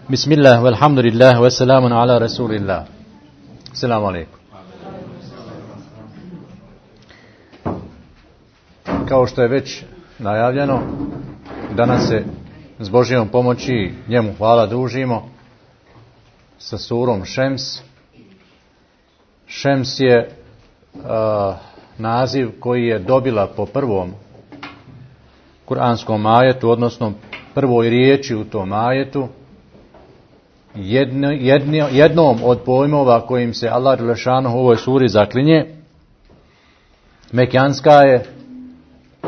Bismillah, walhamdulillah, wassalamun ala rasulillah. Assalamu alaikum. Kao što je već najavljeno, danas se s Božjom pomoći njemu hvala družimo sa surom Šems. Šems je naziv koji je dobila po prvom kuranskom ajetu, odnosno prvoj riječi u tom ajetu, jednom od pojmova kojim se Allah dželešanohu u ovoj suri zaklinje. Mekanska je,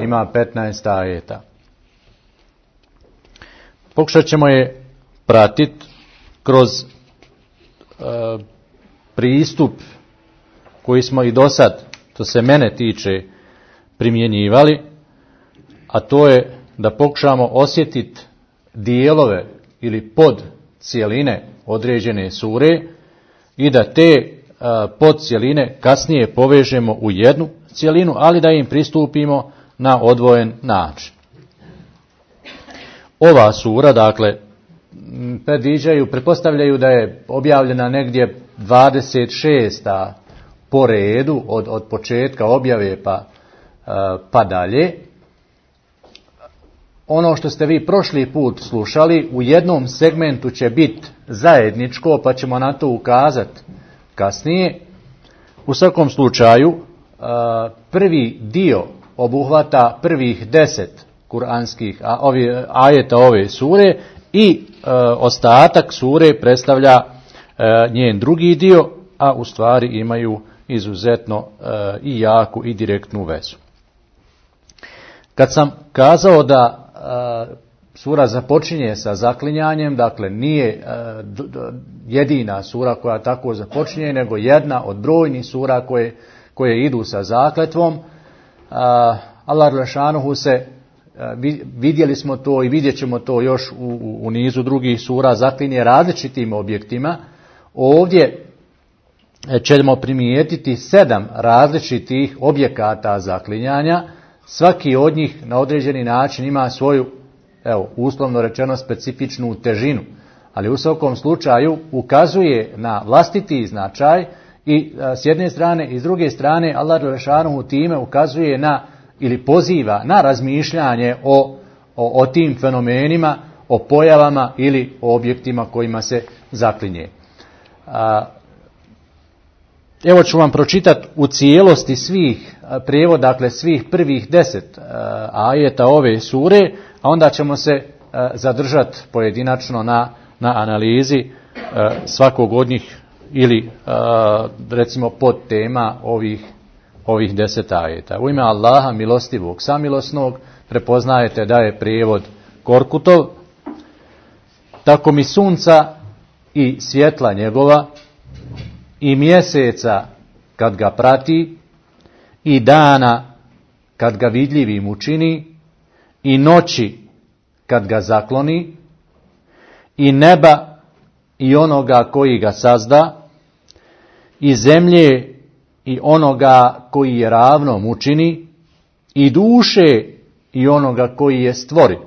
ima 15 ajeta. Pokušat ćemo je pratiti kroz pristup koji smo i do sad, to se mene tiče, primjenjivali, a to je da pokušamo osjetiti dijelove ili pod cijeline određene sure i da te podcijeline kasnije povežemo u jednu cijelinu, ali da im pristupimo na odvojen način. Ova sura, dakle, pretpostavljaju da je objavljena negdje 26. po redu od početka objave pa dalje. Ono što ste vi prošli put slušali u jednom segmentu će biti zajedničko, pa ćemo na to ukazati kasnije. U svakom slučaju, prvi dio obuhvata prvih 10 kuranskih ajeta ove sure i ostatak sure predstavlja njen drugi dio, a u stvari imaju izuzetno i jaku i direktnu vezu. Kad sam kazao da sura započinje sa zaklinjanjem, dakle nije jedina sura koja tako započinje, nego jedna od brojnih sura koje idu sa zakletvom. Allah dželešanohu se, vidjeli smo to i vidjet ćemo to još u nizu drugih sura, zaklinje različitim objektima. Ovdje ćemo primijetiti 7 različitih objekata zaklinjanja. Svaki od njih na određeni način ima svoju, uslovno rečeno, specifičnu težinu, ali u svakom slučaju ukazuje na vlastiti značaj i s jedne strane i s druge strane Allah dželešanohu time ukazuje na ili poziva na razmišljanje o tim fenomenima, o pojavama ili o objektima kojima se zaklinje. Evo ću vam pročitati u cijelosti svih prijevod, dakle svih prvih 10 ajeta ove sure, a onda ćemo se zadržati pojedinačno na analizi svakog od njih ili recimo pod tema ovih 10 ajeta. U ime Allaha milostivog samilosnog, prepoznajete da je prijevod Korkutov. Tako mi sunca i svjetla njegova i mjeseca kad ga prati i dana kad ga vidljivim učini i noći kad ga zakloni i neba i onoga koji ga sazda i zemlje i onoga koji je ravnom učini i duše i onoga koji je stvori.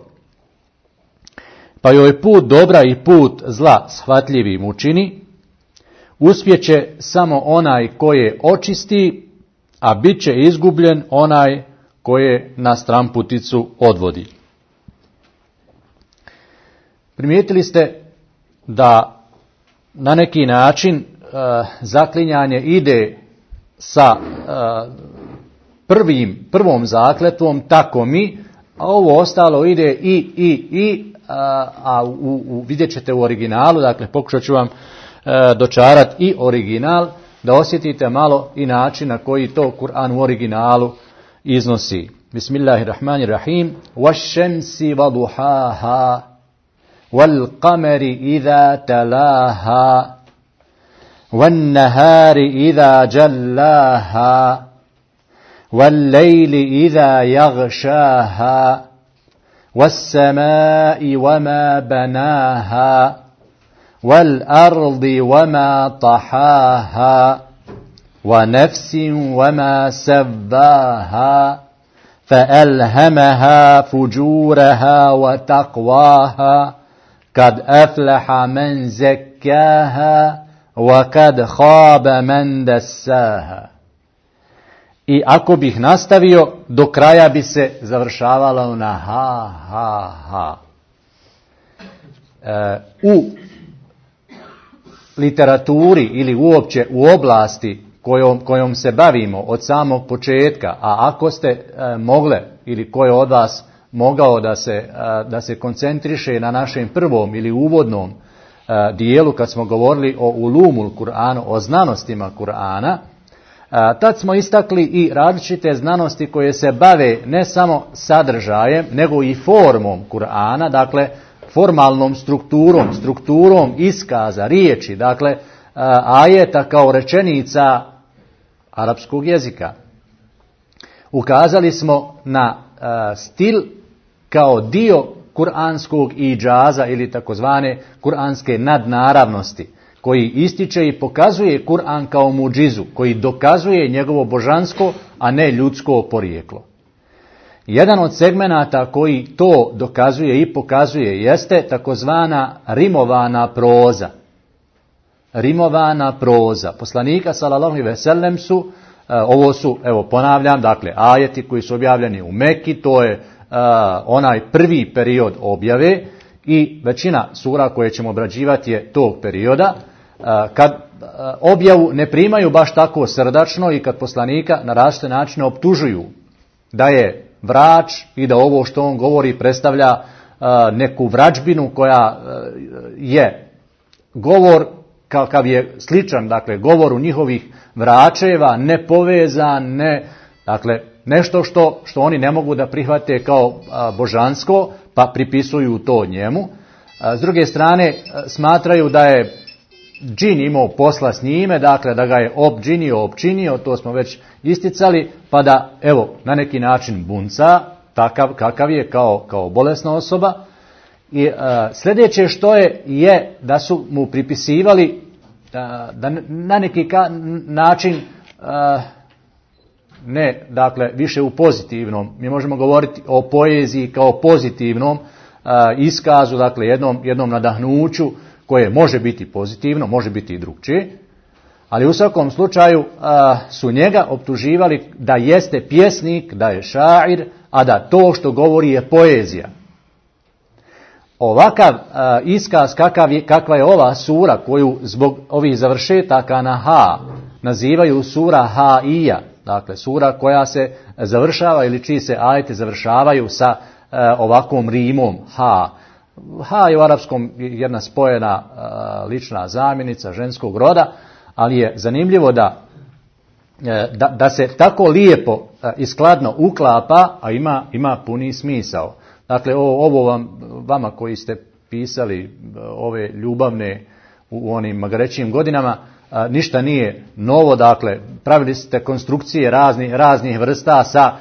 Pa joj put dobra i put zla shvatljivim učini. Uspjeće samo onaj koje očisti, a bit će izgubljen onaj koje na stramputicu odvodi. Primijetili ste da na neki način zaklinjanje ide sa prvom zakletvom tako mi, a ovo ostalo ide a vidjet ćete u originalu, dakle pokušat ću vam dočarati i original, da osjetite malo i način na koji to Kur'an u originalu iznosi. Bismillahirrahmanirrahim. Wash-shamsi wa-duhaha wal-qamari idha talaha wan-nahari idha jallaha wal-layli idha yaghshaha was-samai wama banaha والأرض وما طحاها ونفس وما سواها فألهمها فجورها وتقواها kad aflaha men zekkaha wa kad khaba men dassaha. I ako bih nastavio, do kraja bi se završavalo na ha, ha, ha. U literaturi ili uopće u oblasti kojom se bavimo od samog početka, a ako ste mogle ili ko je od vas mogao da se koncentriše na našem prvom ili uvodnom dijelu kad smo govorili o ulumul Kur'anu, o znanostima Kur'ana, tad smo istakli i različite znanosti koje se bave ne samo sadržajem, nego i formom Kur'ana, dakle formalnom strukturom iskaza, riječi, dakle ajeta kao rečenica arapskog jezika. Ukazali smo na stil kao dio kuranskog idžaza ili takozvane kuranske nadnaravnosti, koji ističe i pokazuje Kur'an kao muđizu, koji dokazuje njegovo božansko, a ne ljudsko porijeklo. Jedan od segmenata koji to dokazuje i pokazuje jeste takozvana rimovana proza. Rimovana proza. Poslanika sallallahu alejhi ve sellem su, ovo su, evo ponavljam, dakle ajeti koji su objavljeni u Meki, to je onaj prvi period objave i većina sura koje ćemo obrađivati je tog perioda, kad objavu ne primaju baš tako srdačno i kad poslanika na različite načine optužuju da je vrač i da ovo što on govori predstavlja neku vračbinu koja je govor kakav je sličan, dakle govoru njihovih vračeva, nepovezan, dakle nešto što oni ne mogu da prihvate kao božansko, pa pripisuju to njemu. S druge strane smatraju da je džin imao posla s njime, dakle da ga je opčinio, to smo već isticali, pa da evo na neki način bunca, takav kakav je kao bolesna osoba. I sljedeće što je da su mu pripisivali da na neki način ne, dakle više u pozitivnom, mi možemo govoriti o poeziji kao pozitivnom iskazu, dakle jednom nadahnuću koje može biti pozitivno, može biti i drugčije, ali u svakom slučaju su njega optuživali da jeste pjesnik, da je šair, a da to što govori je poezija. Ovakav iskaz kakva je ova sura koju zbog ovih završetaka na ha nazivaju sura haija, dakle sura koja se završava ili čiji se ajeti završavaju sa ovakvom rimom ha. Ha je u arapskom jedna spojena lična zamjenica ženskog roda, ali je zanimljivo da se tako lijepo i skladno uklapa, a ima puni smisao. Dakle, ovo vama koji ste pisali ove ljubavne u onim magarećim godinama, ništa nije novo, dakle, pravili ste konstrukcije raznih vrsta sa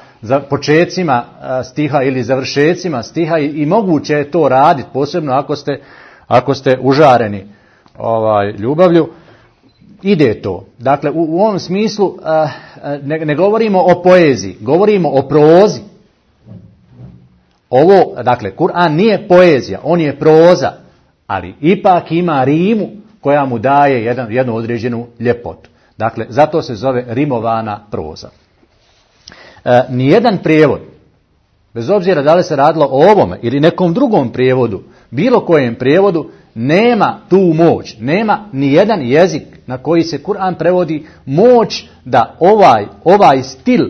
počecima stiha ili završecima stiha i moguće je to raditi, posebno ako ste užareni ljubavlju. Ide to. Dakle, u ovom smislu ne govorimo o poeziji, govorimo o prozi. Ovo, dakle, Kur'an nije poezija, on je proza, ali ipak ima rimu koja mu daje jednu određenu ljepotu. Dakle, zato se zove rimovana proza. Nijedan prijevod, bez obzira da li se radilo o ovome ili nekom drugom prijevodu, bilo kojem prijevodu, nema tu moć, nema nijedan jezik na koji se Kur'an prevodi moć da ovaj stil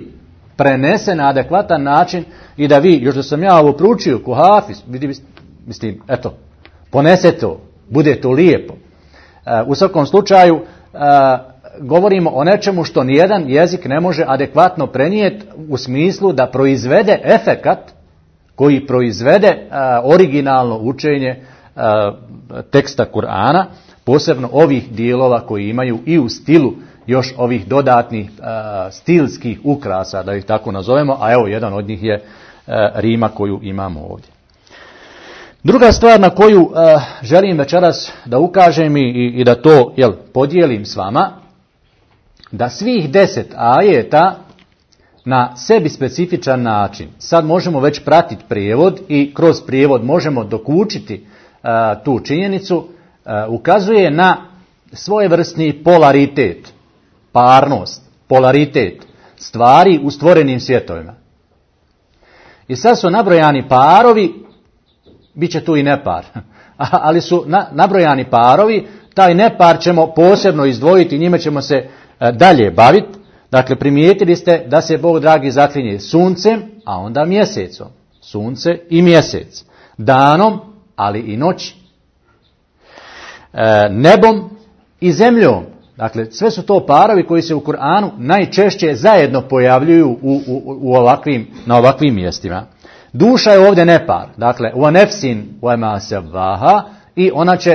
prenese na adekvatan način i da vi, još da sam ja ovo proučio ko hafiz, mislim, eto, ponese to, bude to lijepo. U svakom slučaju, govorimo o nečemu što nijedan jezik ne može adekvatno prenijeti u smislu da proizvede efekat koji proizvede originalno učenje teksta Kur'ana, posebno ovih dijelova koji imaju i u stilu još ovih dodatnih stilskih ukrasa, da ih tako nazovemo, a evo jedan od njih je rima koju imamo ovdje. Druga stvar na koju želim večeras da ukažem i da to podijelim s vama, da svih 10 ajeta na sebi specifičan način, sad možemo već pratiti prijevod i kroz prijevod možemo dokučiti tu činjenicu, ukazuje na svojevrsni polaritet, parnost, polaritet stvari u stvorenim svjetovima. I sad su nabrojani parovi, bit će tu i nepar, ali su nabrojani parovi, taj nepar ćemo posebno izdvojiti, njime ćemo se dalje baviti. Dakle, primijetili ste da se Bog dragi zaklinje suncem, a onda mjesecom. Sunce i mjesec. Danom, ali i noći. Nebom i zemljom. Dakle, sve su to parovi koji se u Kur'anu najčešće zajedno pojavljuju na ovakvim mjestima. Duša je ovdje nepar. Dakle, wa nefsin wa ma savaha, i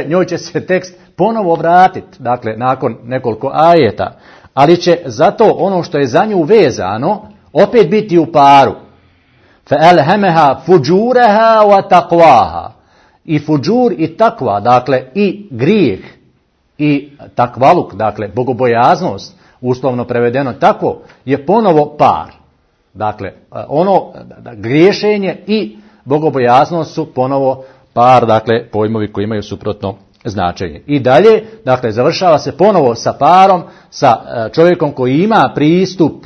njoj će se tekst ponovo vratiti. Dakle, nakon nekoliko ajeta. Ali će zato ono što je za nju vezano opet biti u paru. فَأَلْهَمَهَا فُجُورَهَا وَتَقْوَاهَا. I fuđur i takva, dakle i grijeh i takvaluk, dakle bogobojaznost, uslovno prevedeno tako, je ponovo par. Dakle, griješenje i bogobojaznost su ponovo par, dakle pojmovi koji imaju suprotno značenje. I dalje, dakle, završava se ponovo sa parom, sa čovjekom koji ima pristup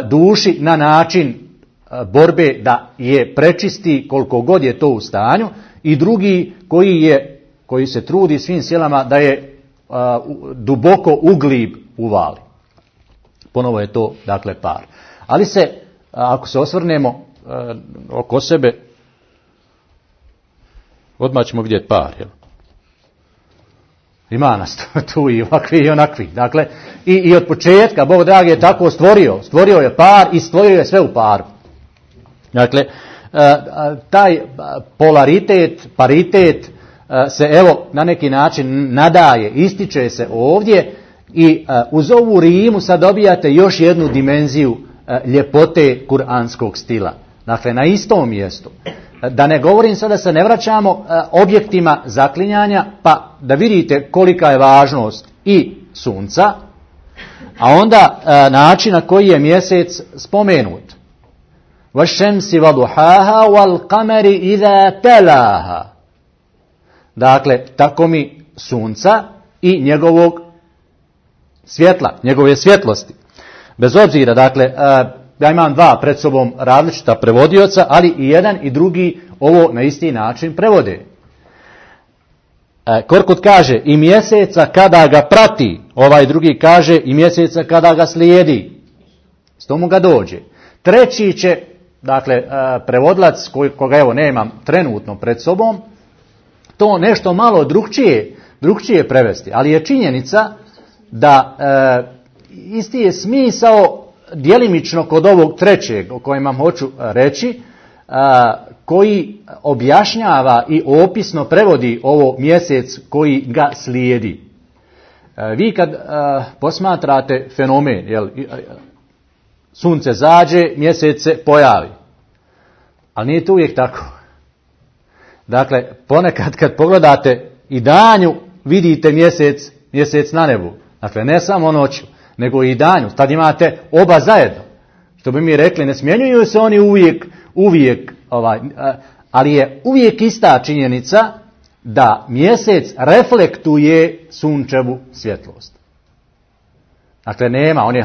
duši na način borbe da je prečisti koliko god je to u stanju, i drugi koji se trudi svim silama da je duboko u glib uvali. Ponovo je to, dakle, par. Ali ako se osvrnemo oko sebe, odmah ćemo vidjeti par, jel? Ima nas tu i ovakvi i onakvi. Dakle, i od početka Bog dragi je tako stvorio je par i stvorio je sve u paru. Dakle, taj polaritet, paritet se evo na neki način nadaje, ističe se ovdje, i uz ovu rimu sad dobijate još jednu dimenziju ljepote kuranskog stila. Dakle, na istom mjestu. Da ne govorim sada, se ne vraćamo objektima zaklinjanja, pa da vidite kolika je važnost i sunca, a onda način na koji je mjesec spomenut. وَالشَّمْسِ وَضُحَاهَا وَالْقَمَرِ إِذَا تَلَاهَا. Dakle, tako mi sunca i njegovog svjetla, njegove svjetlosti. Bez obzira, dakle, ja imam dva pred sobom različita prevodioca, ali i jedan i drugi ovo na isti način prevode. Korkut kaže i mjeseca kada ga prati, ovaj drugi kaže i mjeseca kada ga slijedi. S tomu ga dođe. Treći će, dakle, prevodilac koga evo nemam trenutno pred sobom, to nešto malo drugčije prevesti, ali je činjenica da isti je smisao djelimično kod ovog trećeg o kojem vam hoću reći, koji objašnjava i opisno prevodi ovo mjesec koji ga slijedi. Vi kad posmatrate fenomen, jel, sunce zađe, mjesec se pojavi. Ali nije to uvijek tako. Dakle, ponekad kad pogledate i danju, vidite mjesec na nebu. Dakle, ne samo noću, nego i danju. Tad imate oba zajedno. Što bi mi rekli, ne smjenjuju se oni uvijek, ali je uvijek ista činjenica da mjesec reflektuje sunčevu svjetlost. Dakle, nema, on je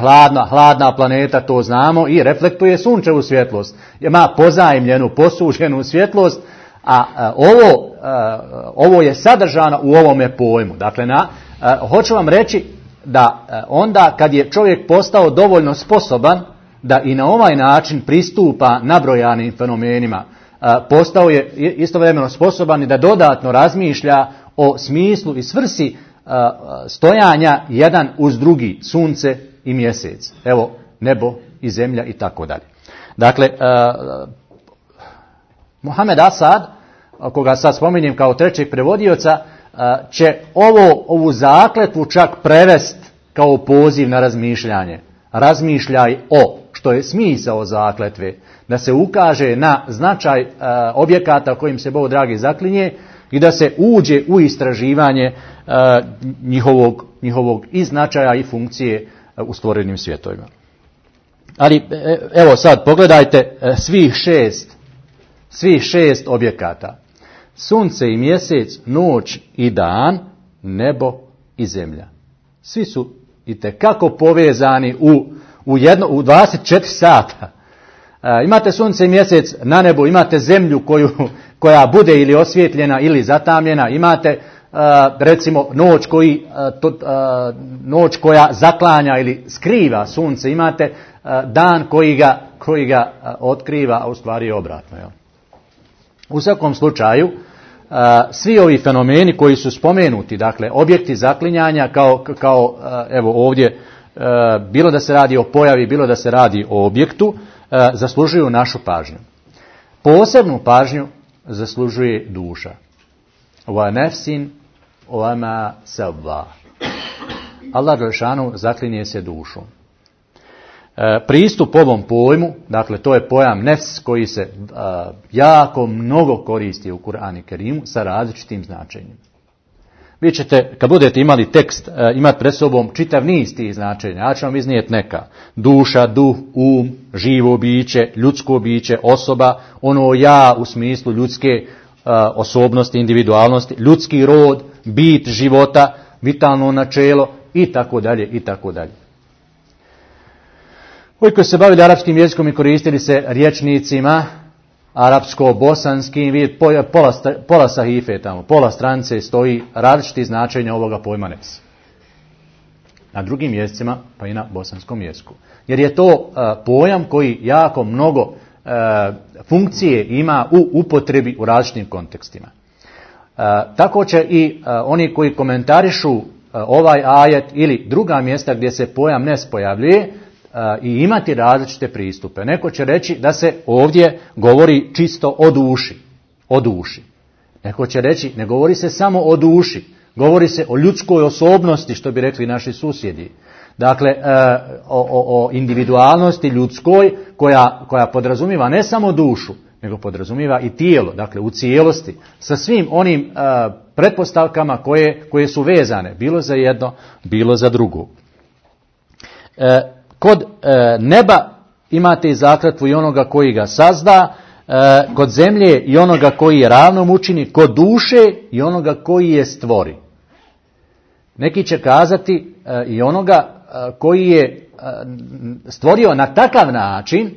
hladna planeta, to znamo, i reflektuje sunčevu svjetlost. Ima pozajmljenu, posuđenu svjetlost, a ovo je sadržano u ovome pojmu. Dakle, hoću vam reći da onda kad je čovjek postao dovoljno sposoban da i na ovaj način pristupa nabrojanim fenomenima, postao je istovremeno sposoban i da dodatno razmišlja o smislu i svrsi stojanja jedan uz drugi, sunce i mjesec. Evo, nebo i zemlja i tako dalje. Dakle, Mohamed Asad, koga sad spominjem kao trećeg prevodioca, će ovu zakletvu čak prevest kao poziv na razmišljanje. Razmišljaj o, što je smisao zakletve, da se ukaže na značaj objekata kojim se Bog dragi zaklinje i da se uđe u istraživanje njihovog i značaja i funkcije u stvorenim svjetovima. Ali evo sad pogledajte svih šest objekata. sunce i mjesec, noć i dan, nebo i zemlja. Svi su itekako povezani u 24 sata. Imate sunce i mjesec na nebu, imate zemlju koja bude ili osvjetljena ili zatamljena, imate recimo noć koja zaklanja ili skriva sunce, imate dan koji ga otkriva, a u stvari je obratno. Jel? U svakom slučaju, svi ovi fenomeni koji su spomenuti, dakle objekti zaklinjanja kao evo ovdje, bilo da se radi o pojavi, bilo da se radi o objektu, zaslužuju našu pažnju. Posebnu pažnju zaslužuje duša. Wa nafsin wa ma sawwa. Allah dželešanu zaklinje se dušom. Pristup ovom pojmu, dakle to je pojam nefs koji se jako mnogo koristi u Kur'anu Kerimu sa različitim značenjima. Vi ćete, kad budete imali tekst, imati pred sobom čitav niz tih značenja. Ja ću vam iznijeti neka. Duša, duh, živo biće, ljudsko biće, osoba, ono ja u smislu ljudske osobnosti, individualnosti, ljudski rod, bit života, vitalno načelo i tako dalje i tako dalje. Ovi koji se bavili arapskim jezikom i koristili se rječnicima arapsko-bosanskim, vidjeti pola sahife tamo, pola stranice stoji različiti značenja ovoga pojma nefs. Na drugim jezicima, pa i na bosanskom jeziku. Jer je to pojam koji jako mnogo funkcije ima u upotrebi u različitim kontekstima. Tako će i oni koji komentarišu ovaj ajet ili druga mjesta gdje se pojam nefs pojavljuje, i imati različite pristupe. Neko će reći da se ovdje govori čisto o duši. Neko će reći ne govori se samo o duši, govori se o ljudskoj osobnosti, što bi rekli naši susjedi. Dakle, o individualnosti ljudskoj koja podrazumiva ne samo dušu, nego podrazumiva i tijelo, dakle u cijelosti, sa svim onim pretpostavkama koje su vezane, bilo za jedno, bilo za drugo. Kod neba imate i zakletvu i onoga koji ga sazda, kod zemlje i onoga koji je ravnom učini, kod duše i onoga koji je stvori. Neki će kazati i onoga koji je stvorio na takav način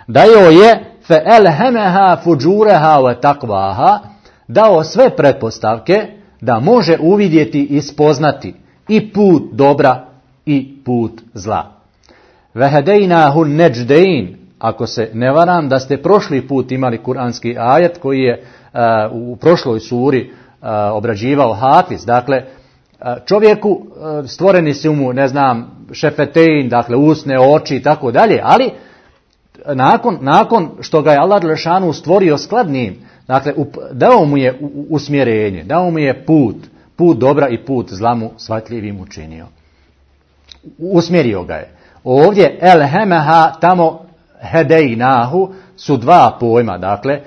da joj je فَأَلْهَمَهَا فُجُورَهَا وَتَقْوَاهَا dao sve pretpostavke da može uvidjeti i spoznati i put dobra i put zla. وَهَدَيْنَاهُ النَّجْدَيْنِ ako se ne varam da ste prošli put imali kuranski ajet koji je u prošloj suri obrađivao Hafiz. Dakle, čovjeku stvoreni su mu, šefetein, dakle usne, oči i tako dalje, ali nakon što ga je Allah dželešanu stvorio skladnim, dakle dao mu je usmjerenje, dao mu je put dobra i put zla mu shvatljivim učinio. Usmjerio ga je. Ovdje elhemeha, tamo hedejnahu su dva pojma, dakle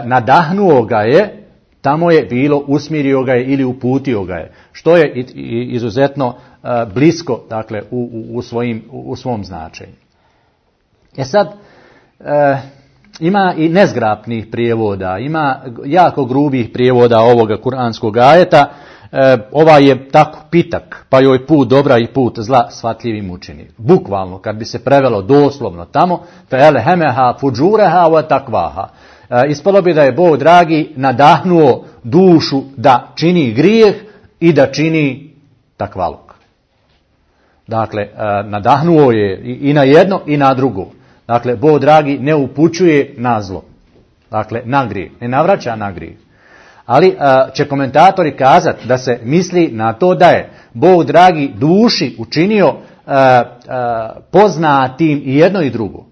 nadahnuo ga je, tamo je bilo usmjerio ga je ili uputio ga je, što je izuzetno blisko, dakle u svom značenju. Sad ima i nezgrapnih prijevoda, ima jako grubih prijevoda ovoga kuranskog ajeta. Ovaj je tako pitak, pa joj put dobra i put zla shvatljivim učini. Bukvalno, kad bi se prevelo doslovno tamo, فَأَلْهَمَهَا فُجُورَهَا وَتَقْوَاهَا. Ispalo bi da je Bog dragi nadahnuo dušu da čini grijeh i da čini takvaluk. Dakle, nadahnuo je i na jedno i na drugo. Dakle, Bog dragi ne upućuje na zlo. Dakle, na grijeh. Ne navraća na grijeh. Ali će komentatori kazati da se misli na to da je Bog dragi duši učinio poznatim i jedno i drugo.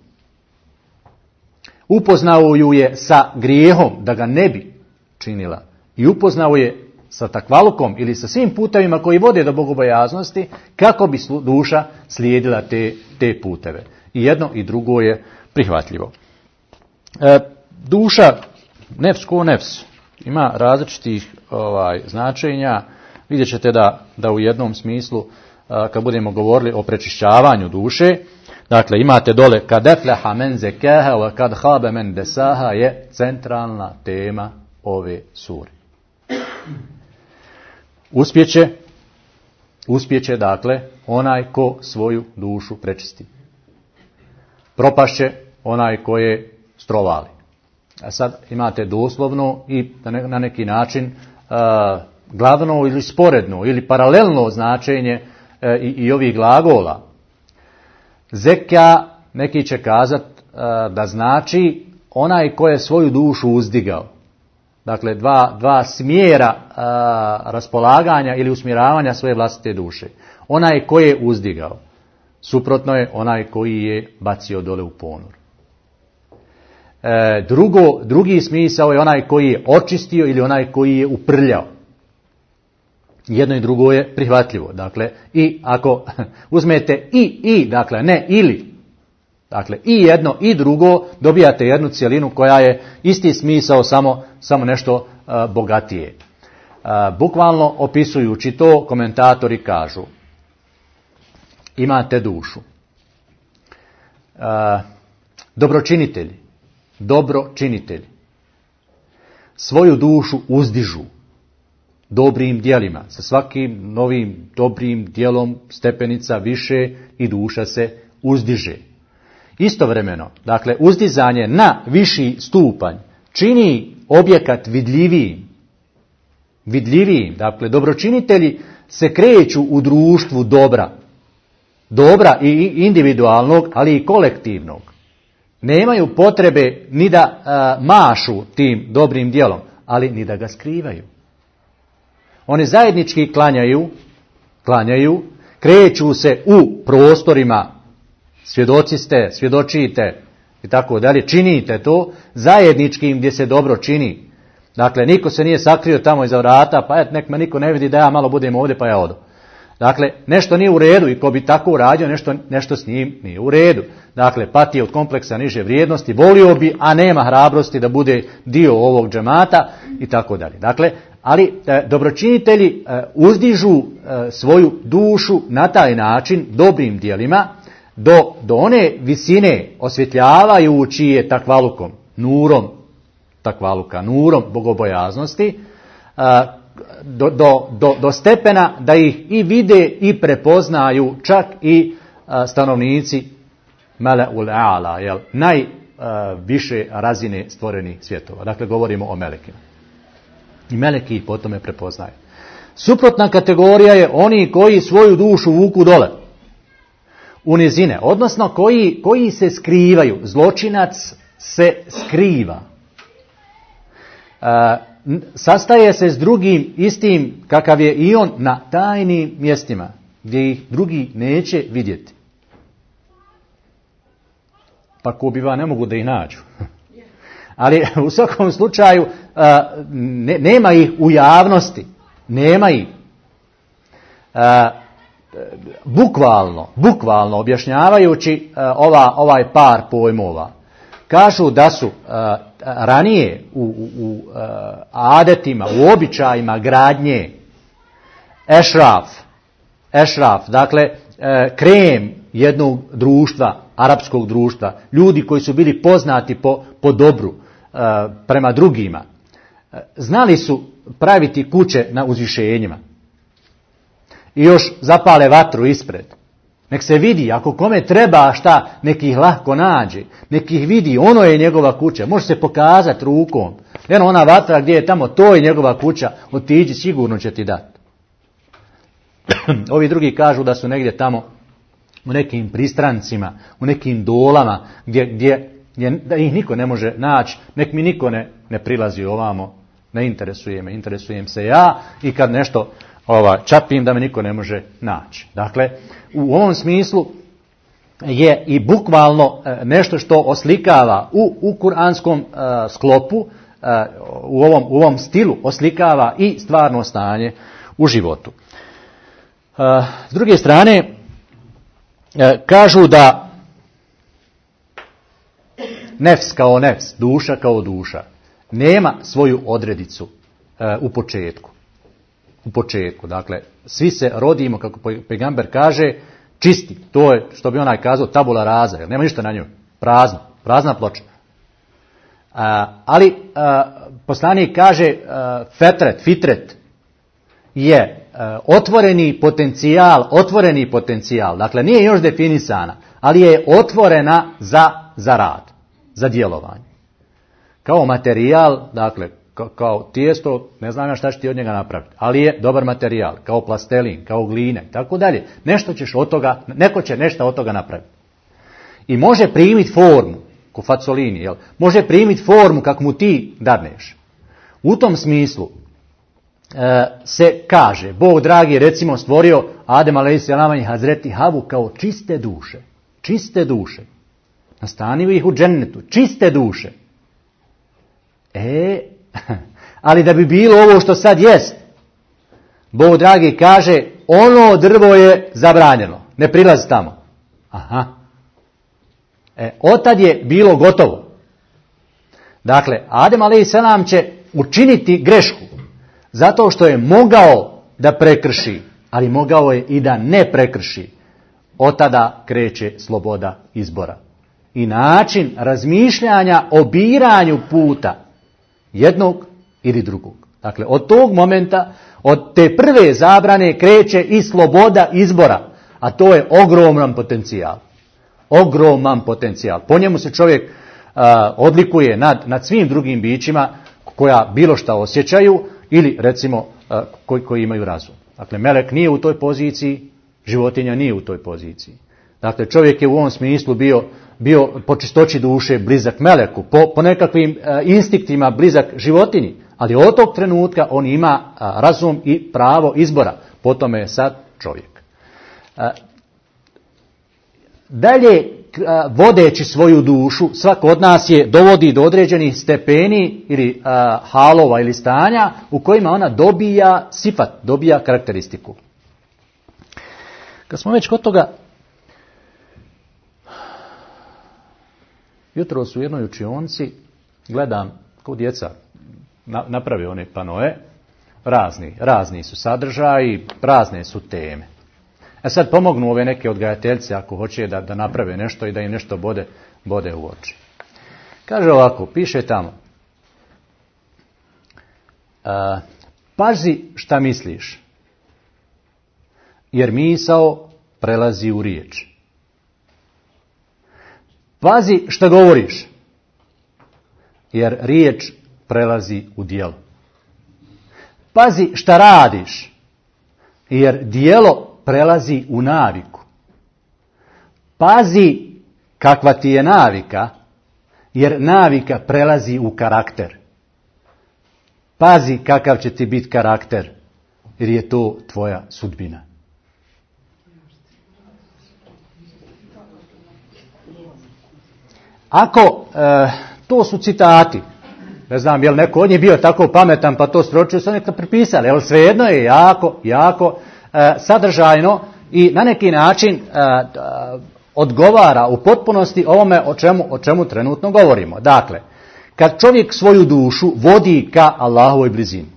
Upoznao ju je sa grijehom da ga ne bi činila i upoznao je sa takvalukom ili sa svim putevima koji vode do bogobojaznosti kako bi duša slijedila te puteve. I jedno i drugo je prihvatljivo. Duša, nefs ko nefs, ima različitih značenja. Vidjet ćete da u jednom smislu, kad budemo govorili o prečišćavanju duše, dakle imate dole kad efleha men zekaha wa kad khaba men desaha je centralna tema ove sure. Uspjeće dakle onaj ko svoju dušu prečisti. Propašće onaj ko je strovali. A sad imate doslovno i na neki način glavno ili sporedno ili paralelno značenje i ovih glagola. Zeka, neki će kazati da znači onaj ko je svoju dušu uzdigao. Dakle, dva smjera raspolaganja ili usmjeravanja svoje vlastite duše. Onaj ko je uzdigao. Suprotno je onaj koji je bacio dole u ponor. Drugi smisao je onaj koji je očistio ili onaj koji je uprljao. Jedno i drugo je prihvatljivo. Dakle, i ako uzmete dakle ne ili, dakle i jedno i drugo, dobijate jednu cjelinu koja je isti smisao, samo nešto bogatije. Bukvalno opisujući to, komentatori kažu: imate dušu. Dobročinitelji svoju dušu uzdižu dobrim djelima. Sa svakim novim dobrim djelom stepenica više i duša se uzdiže. Istovremeno, dakle, uzdizanje na viši stupanj čini objekat vidljivijim. Dakle, dobročinitelji se kreću u društvu dobra i individualnog, ali i kolektivnog. Nemaju potrebe ni da mašu tim dobrim djelom, ali ni da ga skrivaju. Oni zajednički klanjaju, kreću se u prostorima, svjedoci ste, svjedočite i tako dalje, činite to zajedničkim gdje se dobro čini. Dakle, niko se nije sakrio tamo iza vrata, pa nek me niko ne vidi da ja malo budem ovdje pa ja odo. Dakle, nešto nije u redu i ko bi tako uradio, nešto s njim nije u redu. Dakle, pati od kompleksa niže vrijednosti, volio bi, a nema hrabrosti da bude dio ovog džemata i tako dalje. Dakle, ali dobročinitelji uzdižu svoju dušu na taj način dobrim djelima do one visine osvjetljavajući je takvalukom, nurom bogobojaznosti, do stepena da ih i vide i prepoznaju čak i stanovnici Mele'ul A'la, najviše razine stvorenih svjetova. Dakle, govorimo o melekima. I meleki ih po tome prepoznaju. Suprotna kategorija je oni koji svoju dušu vuku dole, u nizine, odnosno koji se skrivaju. Zločinac se skriva. Sastaje se s drugim istim kakav je i on na tajnim mjestima gdje ih drugi neće vidjeti. Pa ko biva ne mogu da ih nađu. Ali u svakom slučaju nema ih u javnosti. Nema ih. Bukvalno objašnjavajući ovaj par pojmova. Kažu da su ranije u adetima, u običajima gradnje ešraf, dakle krem jednog društva, arapskog društva, ljudi koji su bili poznati po dobru prema drugima, znali su praviti kuće na uzvišenjima i još zapale vatru ispred. Nek se vidi, ako kome treba šta, nek ih lahko nađe, nek ih vidi, ono je njegova kuća, može se pokazati rukom. Eno ona vatra gdje je tamo, to je njegova kuća, otiđi, sigurno će ti dati. Ovi drugi kažu da su negdje tamo u nekim pristrancima, u nekim dolama, gdje da ih niko ne može naći, nek mi niko ne prilazi ovamo, ne interesujem se ja i kad nešto čapim da me niko ne može naći. Dakle, u ovom smislu je i bukvalno nešto što oslikava u kuranskom sklopu, u ovom stilu oslikava i stvarno stanje u životu. S druge strane, kažu da nefs kao nefs, duša kao duša, nema svoju odredicu u početku. Dakle, svi se rodimo, kako pejgamber kaže, čisti. To je, što bi onaj kazao, tabula rasa, jer nema ništa na njoj. Prazna ploča. Ali poslanik kaže fitret je otvoreni potencijal, dakle nije još definisana, ali je otvorena za rad, za djelovanje. Kao materijal, dakle, kao tijesto, ne znam ja šta će ti od njega napraviti, ali je dobar materijal, kao plastelin, kao gline, tako dalje. Neko će nešto od toga napraviti. I može primiti formu, ko facolini, jel? Može primiti formu kako mu ti dadneš. U tom smislu se kaže, Bog dragi recimo stvorio Adem a.s. i Hazreti Havu kao čiste duše. Nastanio ih u džennetu, čiste duše. Ali da bi bilo ovo što sad jest, Bog dragi kaže, ono drvo je zabranjeno, ne prilazi tamo. Otad je bilo gotovo. Dakle, Adem a.s. će učiniti grešku, zato što je mogao da prekrši, ali mogao je i da ne prekrši. Od tada kreće sloboda izbora. I način razmišljanja o biranju puta jednog ili drugog. Dakle, od tog momenta, od te prve zabrane kreće i sloboda izbora, a to je ogroman potencijal. Ogroman potencijal. Po njemu se čovjek odlikuje nad svim drugim bićima koja bilo šta osjećaju ili recimo koji imaju razum. Dakle, melek nije u toj poziciji, životinja nije u toj poziciji. Dakle, čovjek je u ovom smislu bio po čistoći duše blizak meleku, po nekakvim instiktima blizak životinji, ali od tog trenutka on ima razum i pravo izbora. Po tome je sad čovjek. Dalje, vodeći svoju dušu, svako od nas je dovodi do određenih stepeni ili halova ili stanja u kojima ona dobija sifat, dobija karakteristiku. Kad smo već kod toga, jutros u jednoj učionci gledam kao djeca naprave one panoe, razni su sadržaji, razne su teme. Sad pomognu ove neke odgajateljice ako hoće da naprave nešto i da im nešto bode u oči. Kaže ovako, piše tamo, pazi šta misliš, jer misao prelazi u riječ. Pazi šta govoriš, jer riječ prelazi u djelo. Pazi šta radiš, jer djelo prelazi u naviku. Pazi kakva ti je navika, jer navika prelazi u karakter. Pazi kakav će ti biti karakter, jer je to tvoja sudbina. Ako, to su citati, ne znam je li neko od njih bio tako pametan pa to sročio, su neka prepisali, ali svejedno je jako sadržajno i na neki način odgovara u potpunosti ovome o čemu trenutno govorimo. Dakle, kad čovjek svoju dušu vodi ka Allahovoj blizini,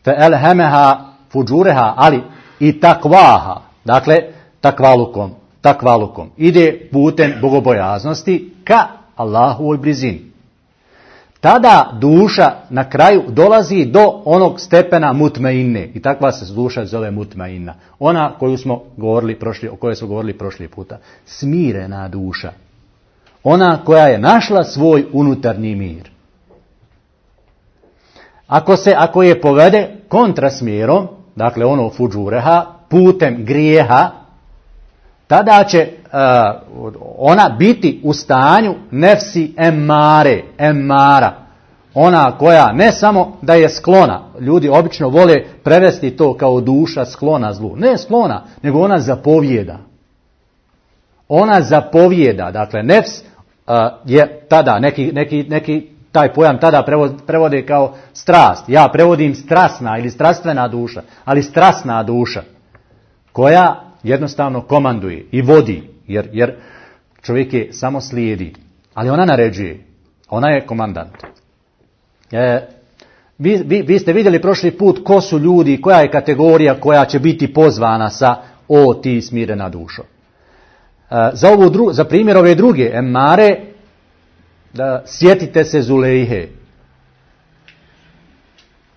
fe elhemeha fuđureha, ali i takvaha, dakle takvalukom, ide putem bogobojaznosti ka Allahovoj blizini. Tada duša na kraju dolazi do onog stepena mutmainne. I takva se duša zove mutmainna. Ona o kojoj smo govorili prošli puta. Smirena duša. Ona koja je našla svoj unutarnji mir. Ako je povede kontrasmjerom, dakle ono fuđureha, putem grijeha, tada će ona biti u stanju nefsi emmara. Ona koja ne samo da je sklona, ljudi obično vole prevesti to kao duša sklona zlu. Ne sklona, nego ona zapovijeda. Ona zapovijeda, dakle nefs je tada, neki taj pojam tada prevode kao strast. Ja prevodim strasna ili strastvena duša, ali strasna duša koja jednostavno komanduje i vodi, jer čovjek je samo slijedi, ali ona naređuje, ona je komandant. Vi ste vidjeli prošli put ko su ljudi, koja je kategorija koja će biti pozvana sa o ti smirena dušo. Za primjer ove druge emmare, da sjetite se Zulejhe.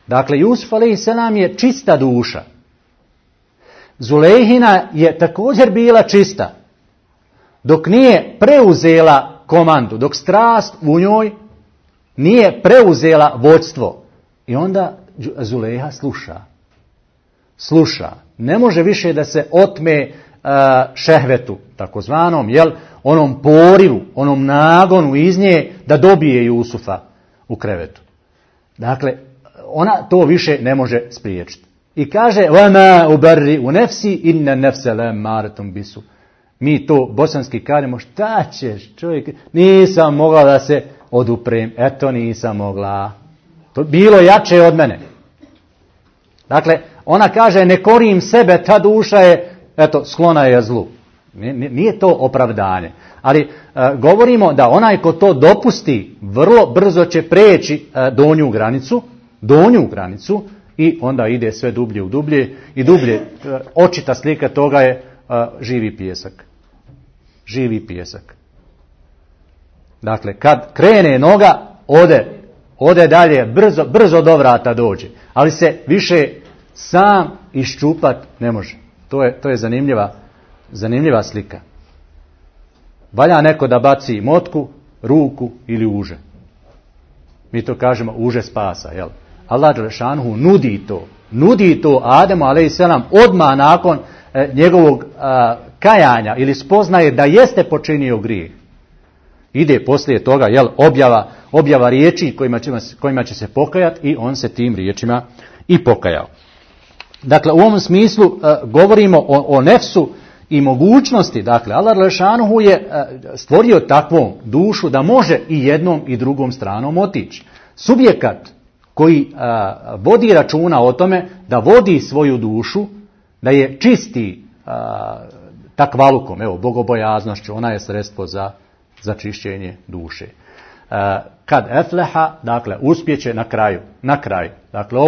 Dakle, Jusuf a.s. je čista duša. Zulejhina je također bila čista, dok nije preuzela komandu, dok strast u njoj nije preuzela vođstvo. I onda Zulejha sluša. Ne može više da se otme šehvetu, takozvanom, onom porivu, onom nagonu iz nje da dobije Jusufa u krevetu. Dakle, ona to više ne može spriječiti. I kaže, وَمَا أُبَرِّئُ نَفْسِي إِنَّ نَفْسَ لَمَّارَةٌ بِسُوءٍ. Mi to bosanski kažemo, šta ćeš čovjek, nisam mogla da se oduprem, eto nisam mogla. To bilo jače od mene. Dakle, ona kaže, ne korim sebe, ta duša je, eto, sklona je zlu. Nije to opravdanje. Ali govorimo da onaj ko to dopusti, vrlo brzo će preći donju granicu i onda ide sve dublje u dublje i dublje. Očita slika toga je živi pijesak. Živi pijesak. Dakle, kad krene noga, ode dalje, brzo do vrata dođe. Ali se više sam iščupat ne može. To je zanimljiva slika. Valja neko da baci motku, ruku ili uže. Mi to kažemo uže spasa, jel? Allah dželešanuhu nudi to Ademu a.s. odmah nakon njegovog kajanja ili spoznaje da jeste počinio grijeh. Ide poslije toga, objava riječi kojima će se pokajati i on se tim riječima i pokajao. Dakle, u ovom smislu govorimo o nefsu i mogućnosti. Dakle, Allah dželešanuhu je stvorio takvu dušu da može i jednom i drugom stranom otići. Subjekat koji vodi računa o tome da vodi svoju dušu, da je čisti takvalukom, bogobojaznošću, ona je sredstvo za čišćenje duše. Kad efleha, dakle, uspjeće na kraju. Dakle,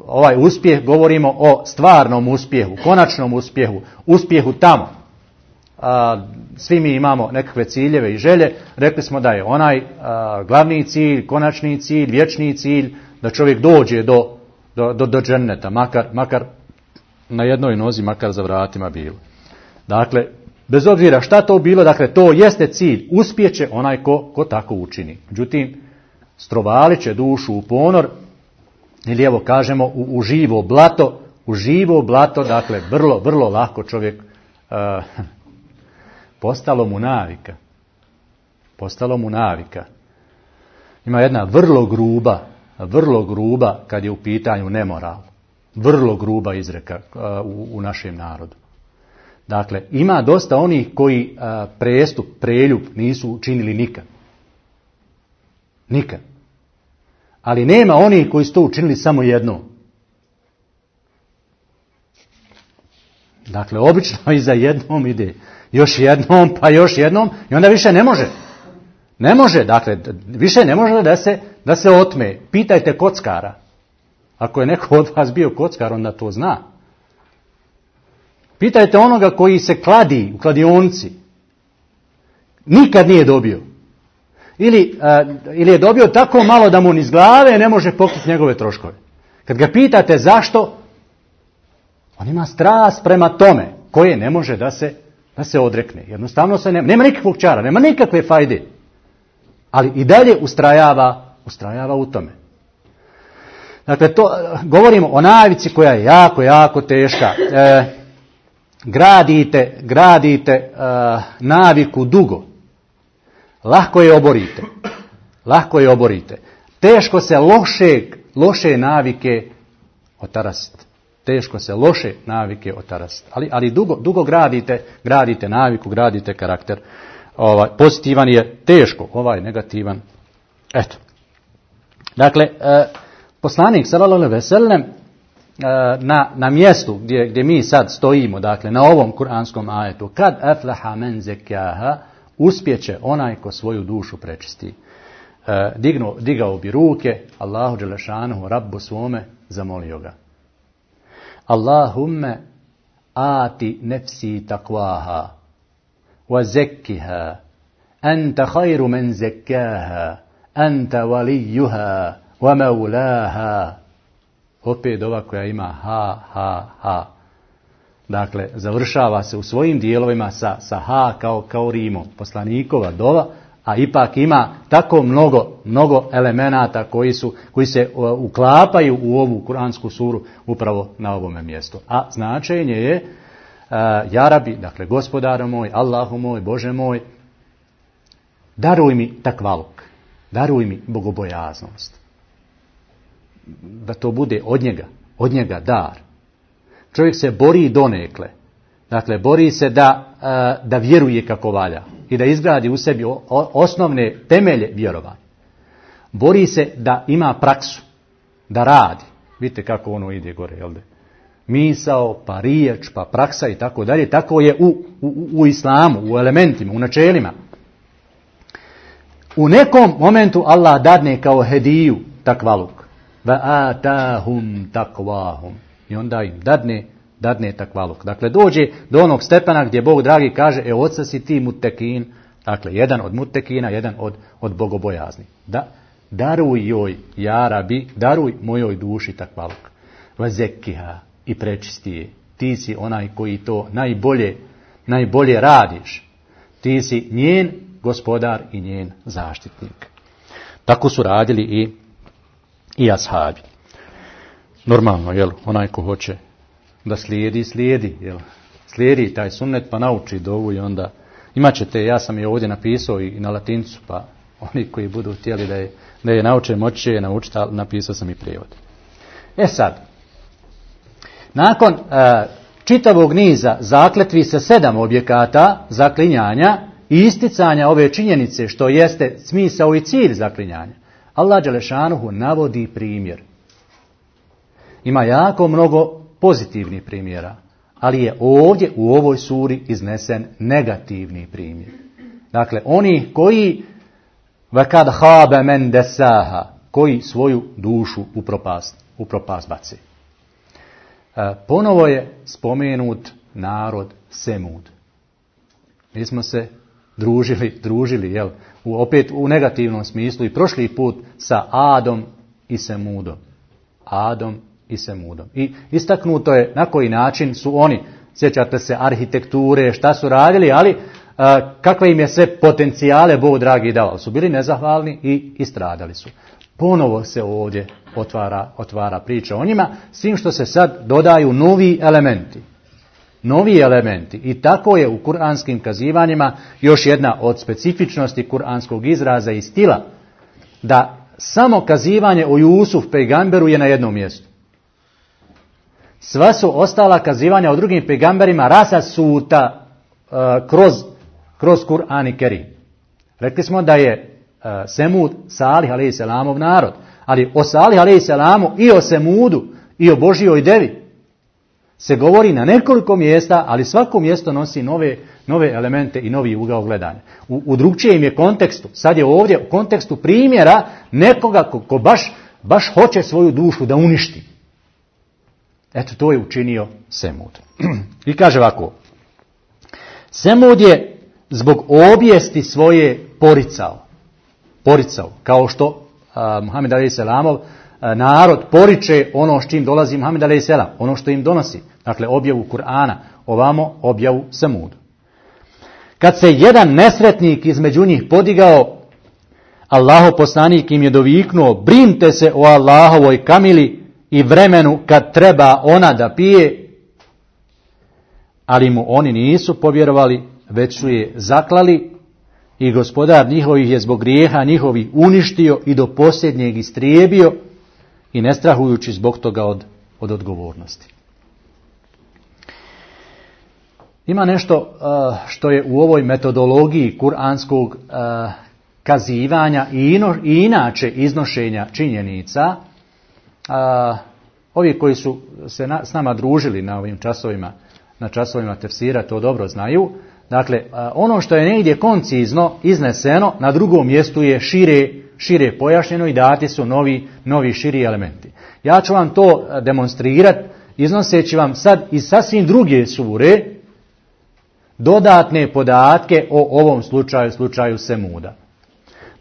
ovaj uspjeh, govorimo o stvarnom uspjehu, konačnom uspjehu tamo. Svi mi imamo nekakve ciljeve i želje. Rekli smo da je onaj glavni cilj, konačni cilj, vječni cilj, da čovjek dođe do dženneta, makar na jednoj nozi, makar za vratima bilo. Dakle, bez obzira šta to bilo, dakle, to jeste cilj. Uspjeće onaj ko tako učini. Međutim, strovalit će dušu u ponor, ili evo kažemo u živo blato, dakle, vrlo lako čovjek postalo mu navika. Ima jedna vrlo gruba kad je u pitanju nemoral. Vrlo gruba izreka u našem narodu. Dakle, ima dosta onih koji preljub nisu učinili nikad. Ali nema onih koji su to učinili samo jednom. Dakle, obično iza jednom ide još jednom, pa još jednom i onda više ne može. Ne može, dakle, više ne može da se otme. Pitajte kockara. Ako je neko od vas bio kockar, onda to zna. Pitajte onoga koji se kladi u kladionici. Nikad nije dobio. Ili je dobio tako malo da mu ni iz glave ne može pokriti njegove troškove. Kad ga pitate zašto, on ima strast prema tome koje ne može da se odrekne. Jednostavno nema nikakvog čara, nema nikakve fajde. Ali i dalje ustrajava u tome. Dakle, to govorimo o navici koja je jako teška. Gradite naviku dugo. Lahko je oborite. Teško se loše navike otarasiti. Ali dugo gradite naviku, gradite karakter. Pozitivan je teško, ovaj negativan. Eto. Dakle, poslanik sallallahu alejhi ve sellem na mjestu gdje mi sad stojimo, dakle na ovom kuranskom ajetu, kad aflaha men zekaha, uspjeće onaj ko svoju dušu prečisti. Digao bi ruke Allahu dželešanuhu, Rabbu svome, zamolio ga. Allahumme ati nefsi takvaha wa zekkiha Anta khayru men zekkaha, anta walijuha, wa maulaha. Opet ova koja ima ha. Dakle, završava se u svojim dijelovima sa ha kao rimom. Poslanikova dova, a ipak ima tako mnogo elemenata koji se uklapaju u ovu kuransku suru upravo na ovome mjestu. A značenje je ja Rabi, dakle gospodaru moj, Allahu moj, Bože moj, daruj mi takvaluk, daruj mi bogobojaznost. Da to bude od njega dar. Čovjek se bori donekle. Dakle, bori se da vjeruje kako valja i da izgradi u sebi osnovne temelje vjerovanja. Bori se da ima praksu, da radi. Vidite kako ono ide gore, jel da? Misao, pa riječ, pa praksa i tako dalje. Tako je u islamu, u elementima, u načelima. U nekom momentu Allah dadne kao hediju takvaluk. Va atahum takvahum. I onda im dadne takvaluk. Dakle, dođe do onog stepena gdje Bog dragi kaže, oca si ti mutekin, dakle, jedan od mutekina, jedan od bogobojazni. Daruj joj, ja Rabi, daruj mojoj duši takvaluk. Va zekkiha, i prečisti je. Ti si onaj koji to najbolje radiš. Ti si njen gospodar i njen zaštitnik. Tako su radili i ashabi. Normalno, jel, onaj ko hoće da slijedi, jel, slijedi taj sunnet pa nauči dovu i onda imat ćete, ja sam je ovdje napisao i na latincu, pa oni koji budu htjeli da je nauče, moći će je naučiti, ali napisao sam i prijevod. Sad, nakon čitavog niza zakletvi sa 7 objekata zaklinjanja i isticanja ove činjenice što jeste smisao i cilj zaklinjanja, Allah dželešanuhu navodi primjer. Ima jako mnogo pozitivnih primjera, ali je ovdje u ovoj suri iznesen negativni primjer. Dakle, oni koji vakad khaba men desaha, koji svoju dušu u propast baci. Ponovo je spomenut narod Semud. Mi smo se družili, jel, opet u negativnom smislu i prošli put sa Adom i Semudom. I istaknuto je na koji način su oni, sjećate se arhitekture, šta su radili, ali kakve im je sve potencijale Bog dragi dao. Su bili nezahvalni i istradali su. Ponovo se ovdje otvara priča o njima, s tim što se sad dodaju novi elementi. I tako je u kuranskim kazivanjima još jedna od specifičnosti kuranskog izraza i stila, da samo kazivanje o Jusuf pejgamberu je na jednom mjestu. Sva su ostala kazivanja o drugim pejgamberima rasasuta kroz Kur'an i Kerim. Rekli smo da je Semud Salih alejselamov narod, ali o Salih alejselamu i o Semudu i o Božjoj devi se govori na nekoliko mjesta, ali svako mjesto nosi nove elemente i novi ugao gledanja. U drugčijem je kontekstu. Sad je ovdje u kontekstu primjera nekoga ko baš hoće svoju dušu da uništi. Eto, to je učinio Semud. I kaže ovako. Semud je zbog obijesti svoje poricao, kao što Muhammed alejselamov narod poriče ono s čim dolazi Muhammed alejselam, ono što im donosi. Dakle, objavu Kur'ana, ovamo objavu Semudu. Kad se jedan nesretnik između njih podigao, Allahov poslanik im je doviknuo, brinite se o Allahovoj kamili i vremenu kad treba ona da pije, ali mu oni nisu povjerovali, već su je zaklali i gospodar njihovih je zbog grijeha njihovih uništio i do posljednjeg istrijebio i ne strahujući zbog toga od odgovornosti. Ima nešto što je u ovoj metodologiji kuranskog kazivanja i inače iznošenja činjenica. Ovi koji su se s nama družili na ovim časovima, na časovima tefsira, to dobro znaju. Dakle, ono što je negdje koncizno izneseno, na drugom mjestu je šire pojašnjeno i dati su novi širi elementi. Ja ću vam to demonstrirati iznoseći vam sad iz sasvim druge sure, dodatne podatke o ovom slučaju Semuda.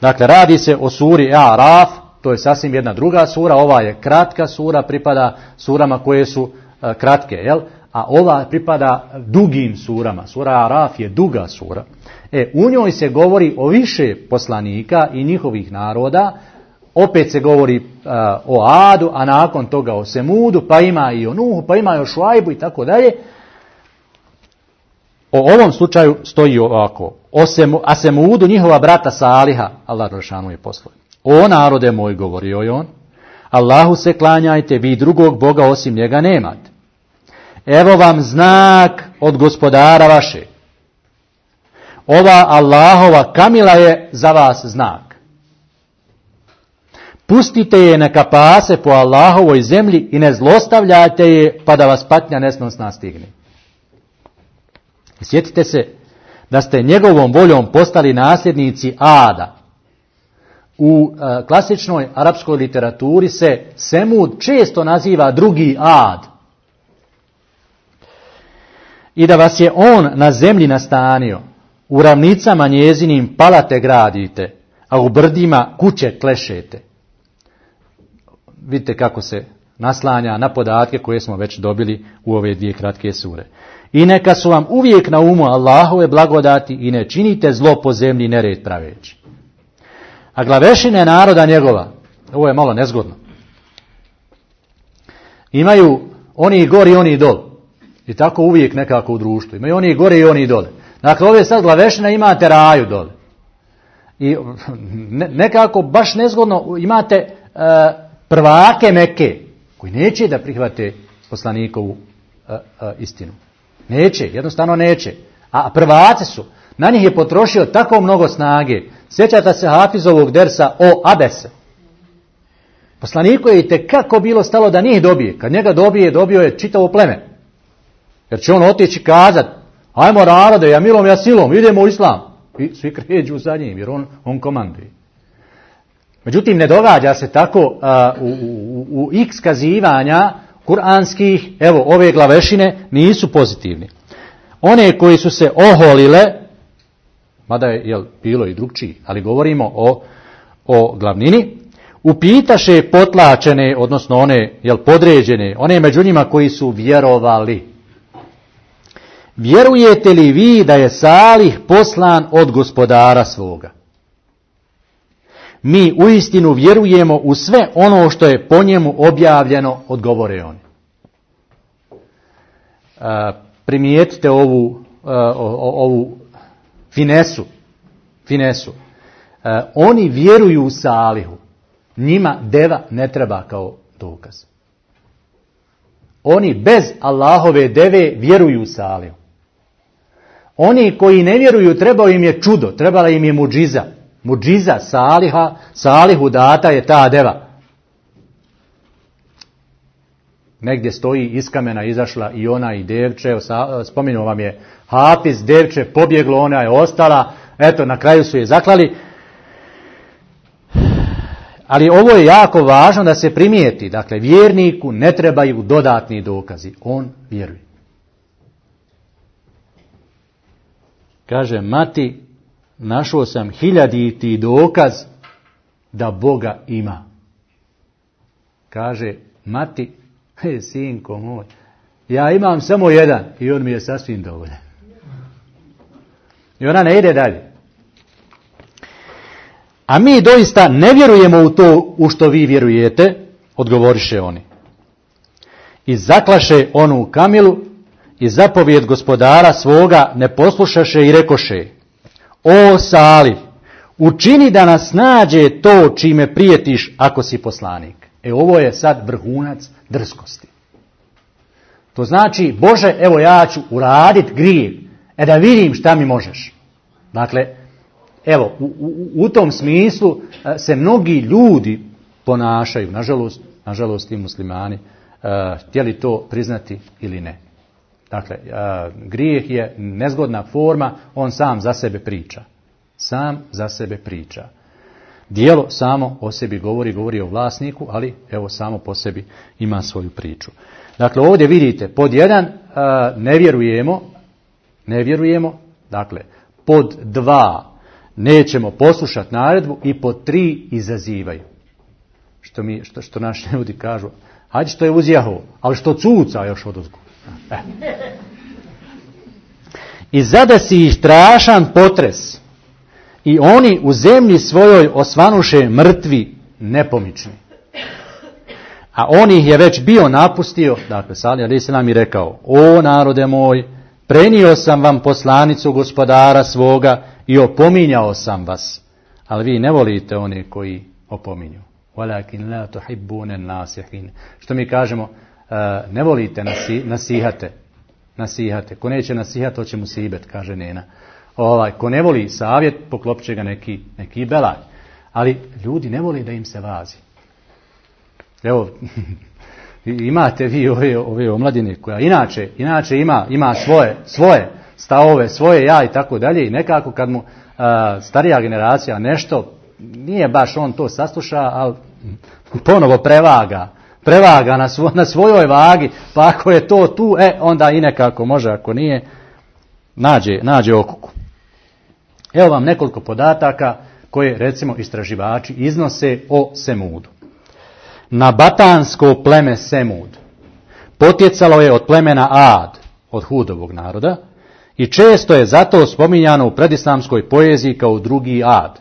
Dakle, radi se o suri A'raf, to je sasvim jedna druga sura, ova je kratka sura, pripada surama koje su kratke, jel? A ova pripada dugim surama. Sura A'raf je duga sura. U njoj se govori o više poslanika i njihovih naroda, opet se govori o Adu, a nakon toga o Semudu, pa ima i o Nuhu, pa ima i o Šuajbu i tako dalje. O ovom slučaju stoji ovako. A Semudu, njihova brata Saliha, Allah Đelešanu je poslao. O narode moj, govorio je on, Allahu se klanjajte, vi drugog Boga osim njega nemate. Evo vam znak od gospodara vaše. Ova Allahova kamila je za vas znak. Pustite je neka pase po Allahovoj zemlji i ne zlostavljajte je pa da vas patnja nesnosna stigne. I sjetite se da ste njegovom voljom postali nasljednici Ada. U klasičnoj arapskoj literaturi se Semud često naziva drugi Ad. I da vas je on na zemlji nastanio, u ravnicama njezinim palate gradite, a u brdima kuće klešete. Vidite kako se naslanja na podatke koje smo već dobili u ove dvije kratke sure. I neka su vam uvijek na umu Allahove blagodati i ne činite zlo po zemlji nered praveći. A glavešine naroda njegova, ovo je malo nezgodno, imaju oni gori i oni dol. I tako uvijek nekako u društvu. Imaju oni gore i oni dole. Dakle, ove sad glavešine imate raju dole. I nekako baš nezgodno imate prvake Mekke, koji neće da prihvate poslanikovu istinu. Neće, jednostavno neće. A prvaci su. Na njih je potrošio tako mnogo snage. Sjećate se Hafizovog dersa o Abese. Poslaniku je itekako bilo stalo da njih dobije. Kad njega dobio je čitavo pleme. Jer će on otići kazat, ajmo narode, ja milom, ja silom, idemo u islam. I svi kređu za njim, jer on komanduje. Međutim, ne događa se tako u x kazivanja kuranskih, evo, ove glavešine nisu pozitivni. One koji su se oholile, mada je bilo i drugčiji, ali govorimo o glavnini, upitaše potlačene, odnosno one podređene, one među njima koji su vjerovali. Vjerujete li vi da je Salih poslan od gospodara svoga? Mi uistinu vjerujemo u sve ono što je po njemu objavljeno, odgovore oni. Primijetite ovu finesu. Oni vjeruju u Salihu. Njima deva ne treba kao dokaz. Oni bez Allahove deve vjeruju u Salihu. Oni koji ne vjeruju, trebao im je čudo, trebala im je mudžiza. Mudžiza Salihu data je ta deva. Negdje stoji iz kamena izašla i ona i devče, spomenuo vam je Hafiz, devče, pobjeglo, ona je ostala, eto, na kraju su je zaklali. Ali ovo je jako važno da se primijeti, dakle, vjerniku ne trebaju dodatni dokazi, on vjeruje. Kaže, mati, našao sam 1000 dokaz da Boga ima. Kaže, mati, sinko moj, ja imam samo jedan i on mi je sasvim dovoljan. I ona ne ide dalje. A mi doista ne vjerujemo u to u što vi vjerujete, odgovoriše oni. I zaklaše onu kamilu i zapovijed gospodara svoga ne poslušaše i rekoše, o Salih, učini da nas nađe to čime prijetiš ako si poslanik. Ovo je sad vrhunac drskosti. To znači, Bože, evo ja ću uraditi grijeh, da vidim šta mi možeš. Dakle, evo, u tom smislu se mnogi ljudi ponašaju, nažalost i muslimani, htjeli to priznati ili ne. Dakle, grijeh je nezgodna forma, on sam za sebe priča. Sam za sebe priča. Djelo samo o sebi govori o vlasniku, ali evo samo po sebi ima svoju priču. Dakle, ovdje vidite, pod jedan, ne ne vjerujemo. Dakle, pod 2 nećemo poslušati naredbu i pod 3 izazivaju. Što naši ljudi kažu, hajde što je uzjaho, ali što cuca još odozgo. I zadesi ih strašan potres i oni u zemlji svojoj osvanuše mrtvi nepomični. A on ih je već bio napustio, dakle Salih alejhi selam i rekao, o narode moj, prenio sam vam poslanicu gospodara svoga i opominjao sam vas, ali vi ne volite one koji opominju. Walakin la tuhibbuna an-nasihin. Što mi kažemo, ne volite nasihate. Ko neće nasihati, to će mu sibet, kaže Nena. Ko ne voli savjet, poklopit će ga neki belaj. Ali ljudi ne voli da im se vazi. Evo, imate vi ove omladine koja inače ima svoje stavove, svoje ja i tako dalje i nekako kad mu starija generacija nešto, nije baš on to sasluša, ali ponovo prevaga na svojoj vagi, pa ako je to tu, onda i nekako može, ako nije, nađe okuku. Evo vam nekoliko podataka koje, recimo, istraživači iznose o Semudu. Nabatansko pleme Semud potjecalo je od plemena Ad, od Hudovog naroda, i često je zato spominjano u predislamskoj poeziji kao drugi Ad.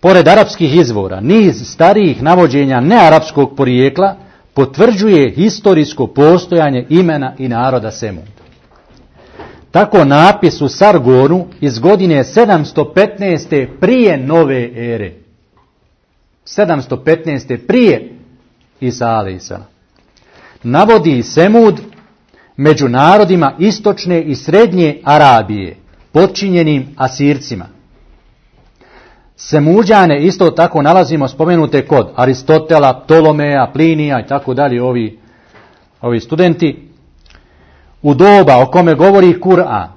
Pored arapskih izvora, niz starijih navođenja nearapskog porijekla potvrđuje historijsko postojanje imena i naroda Semud. Tako napis u Sargonu iz godine 715. prije nove ere. 715. prije Isa alejhiselam. Navodi Semud među narodima istočne i srednje Arabije, potčinjenim Asircima. Semuđane isto tako nalazimo spomenute kod Aristotela, Ptolomeja, Plinija i tako dalje, ovi studenti. U doba o kome govori Kur'an,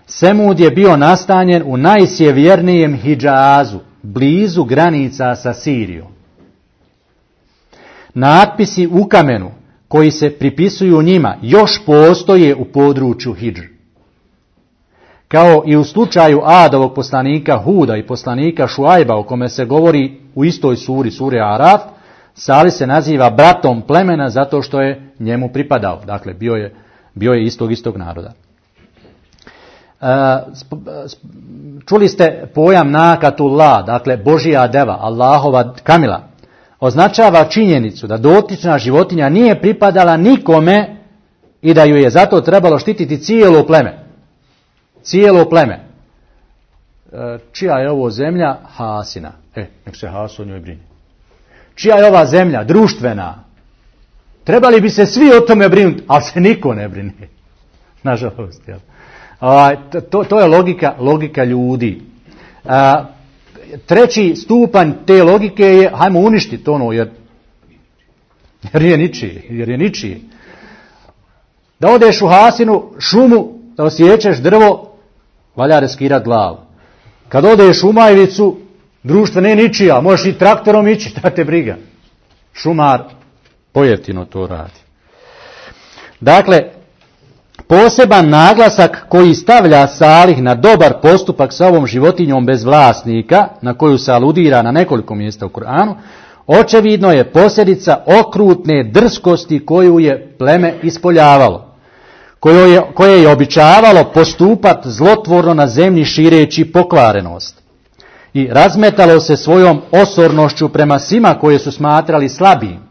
Semud je bio nastanjen u najsjevernijem Hidžazu, blizu granica sa Sirijom. Natpisi u kamenu koji se pripisuju njima još postoje u području Hidžr. Kao i u slučaju Adovog poslanika Huda i poslanika Šuajba o kome se govori u istoj suri Araf, Salih se naziva bratom plemena zato što je njemu pripadao. Dakle, bio je istog naroda. Čuli ste pojam Nakatullah, dakle Božija deva, Allahova kamila. Označava činjenicu da dotična životinja nije pripadala nikome i da ju je zato trebalo štititi cijelo pleme. Cijelo pleme. Čija je ovo zemlja? Hasina. Nek se Haso o njoj brine. Čija je ova zemlja? Društvena. Trebali bi se svi o tome brinuti, ali se niko ne brine. Nažalost. To je logika ljudi. Treći stupanj te logike je, hajmo uništiti ono, jer je ničije. Da odeš u Hasinu, šumu, da osjećaš drvo, valja riskirati glavu. Kad odeš u Majvicu, društvo ne ničija, možeš i traktorom ići, šta te briga. Šumar pojeftino to radi. Dakle, poseban naglasak koji stavlja Salih na dobar postupak sa ovom životinjom bez vlasnika, na koju se aludira na nekoliko mjesta u Kur'anu, očevidno je posljedica okrutne drskosti koju je pleme ispoljavalo, koje je običavalo postupati zlotvorno na zemlji šireći pokvarenost. I razmetalo se svojom osornošću prema svima koje su smatrali slabijim.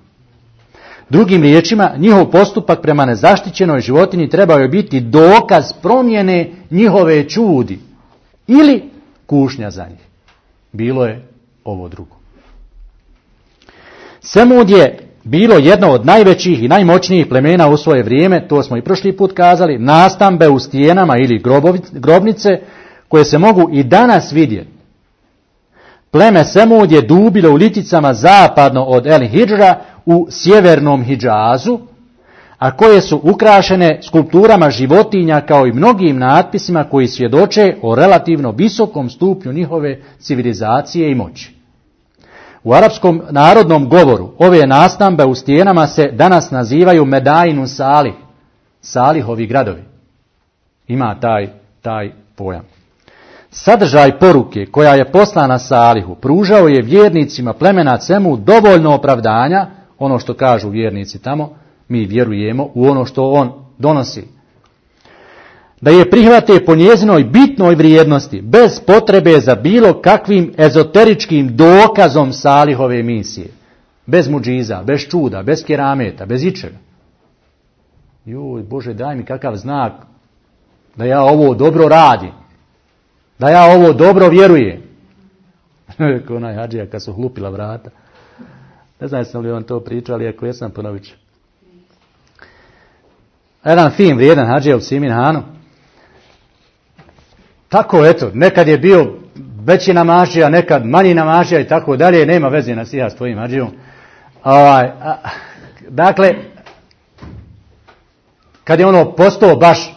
Drugim riječima, njihov postupak prema nezaštićenoj životinji trebao je biti dokaz promjene njihove čudi ili kušnja za njih. Bilo je ovo drugo. Semud je bilo jedno od najvećih i najmoćnijih plemena u svoje vrijeme, to smo i prošli put kazali, nastambe u stijenama ili grobnice koje se mogu i danas vidjeti. Pleme Semud je dubilo u liticama zapadno od El Hidžra u sjevernom Hidžazu, a koje su ukrašene skulpturama životinja kao i mnogim natpisima koji svjedoče o relativno visokom stupnju njihove civilizacije i moći. U arapskom narodnom govoru ove nastambe u stijenama se danas nazivaju Medainu Salih, Salihovi gradovi. ima taj pojam. Sadržaj poruke koja je poslana Salihu pružao je vjernicima plemena Cemu dovoljno opravdanja, ono što kažu vjernici tamo, mi vjerujemo u ono što on donosi. Da je prihvate po njezinoj bitnoj vrijednosti, bez potrebe za bilo kakvim ezoteričkim dokazom Salihove misije. Bez muđiza, bez čuda, bez kerameta, bez ičega. Joj, Bože, daj mi kakav znak da ja ovo dobro radim, da ja ovo dobro vjerujem. Ko onaj hadžija kad su hlupila vrata. Ne znam sam li vam to pričao, ali ako jesam, ponovit ću. Jedan fin, vrijedan hadžija u Simin Hanu. Tako, eto, nekad je bio veći namažija, nekad manji namažija i tako dalje, nema veze na sija s tvojim hadžijom. Dakle, kad je ono postao baš